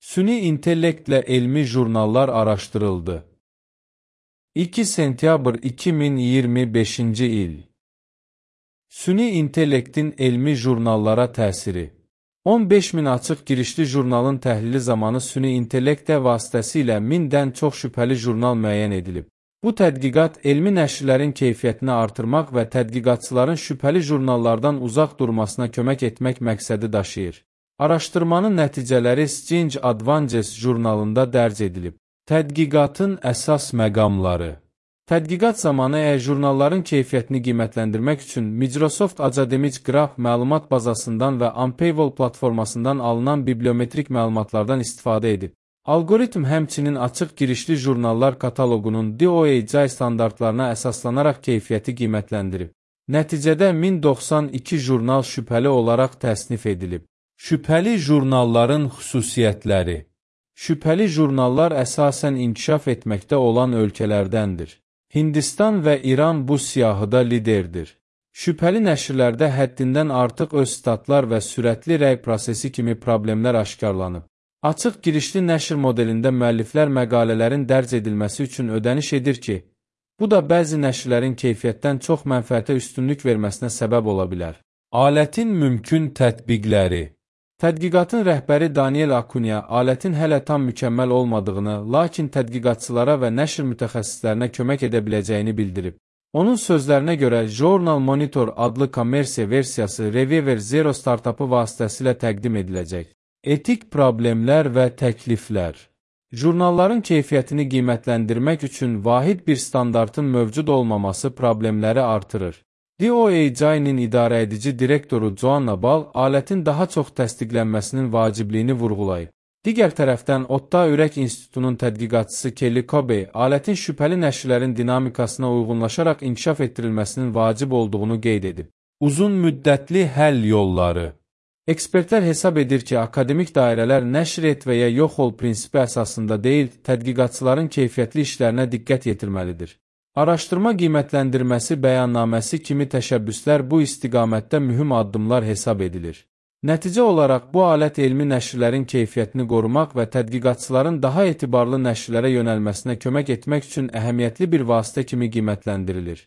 Süni intellektlə elmi jurnallar araşdırıldı. 2 sentyabr 2025-ci il. Süni intellektin elmi jurnallara təsiri. 15.000 açıq girişli jurnalın təhlili zamanı süni intellekt vasitəsilə 1000-dən çox şübhəli jurnal müəyyən edilib. Bu tədqiqat elmi nəşrlərin keyfiyyətini artırmaq və tədqiqatçıların şübhəli jurnallardan uzaq durmasına kömək etmək məqsədi daşıyır. Araşdırmanın nəticələri Science Advances jurnalında dərc edilib. Tədqiqatın əsas məqamları. Tədqiqat zamanı jurnalların keyfiyyətini qiymətləndirmək üçün Microsoft Academic Graph məlumat bazasından və Unpayable platformasından alınan bibliometrik məlumatlardan istifadə edib. Algoritm həmçinin açıq girişli jurnallar kataloqunun DOAJ standartlarına əsaslanaraq keyfiyyəti qiymətləndirib. Nəticədə 1092 jurnal şübhəli olaraq təsnif edilib. Şübhəli jurnalların xüsusiyyətləri. Şübhəli jurnallar əsasən inkişaf etməkdə olan ölkələrdəndir. Hindistan və İran bu siyahıda liderdir. Şübhəli nəşrlərdə həddindən artıq öz statlar və sürətli rəy prosesi kimi problemlər aşkarlanıb. Açıq girişli nəşr modelində müəlliflər məqalələrin dərc edilməsi üçün ödəniş edir ki, bu da bəzi nəşrlərin keyfiyyətdən çox mənfəətə üstünlük verməsinə səbəb ola bilər. Alətin mümkün tətbiqləri. Tədqiqatın rəhbəri Daniel Acuna alətin hələ tam mükəmməl olmadığını, lakin tədqiqatçılara və nəşr mütəxəssislərinə kömək edə biləcəyini bildirib. Onun sözlərinə görə Journal Monitor adlı kommersiya versiyası Reviewer Zero startapı vasitəsilə təqdim ediləcək. Etik problemlər və təkliflər. Jurnalların keyfiyyətini qiymətləndirmək üçün vahid bir standartın mövcud olmaması problemləri artırır. DOAJ-nin idarəedici direktoru Joanna Ball alətin daha çox təsdiqlənməsinin vacibliyini vurğulayıb. Digər tərəfdən, Otta Ürək İnstitutunun tədqiqatçısı Kelly Cobe alətin şübhəli nəşrlərin dinamikasına uyğunlaşaraq inkişaf etdirilməsinin vacib olduğunu qeyd edib. Uzun müddətli həll yolları. Ekspertlər hesab edir ki, akademik dairələr nəşr et və ya yox ol prinsipi əsasında deyil, tədqiqatçıların keyfiyyətli işlərinə diqqət yetirməlidir. Araşdırma qiymətləndirməsi bəyannaməsi kimi təşəbbüslər bu istiqamətdə mühüm addımlar hesab edilir. Nəticə olaraq bu alət elmi nəşrlərin keyfiyyətini qorumaq və tədqiqatçıların daha etibarlı nəşrlərə yönəlməsinə kömək etmək üçün əhəmiyyətli bir vasitə kimi qiymətləndirilir.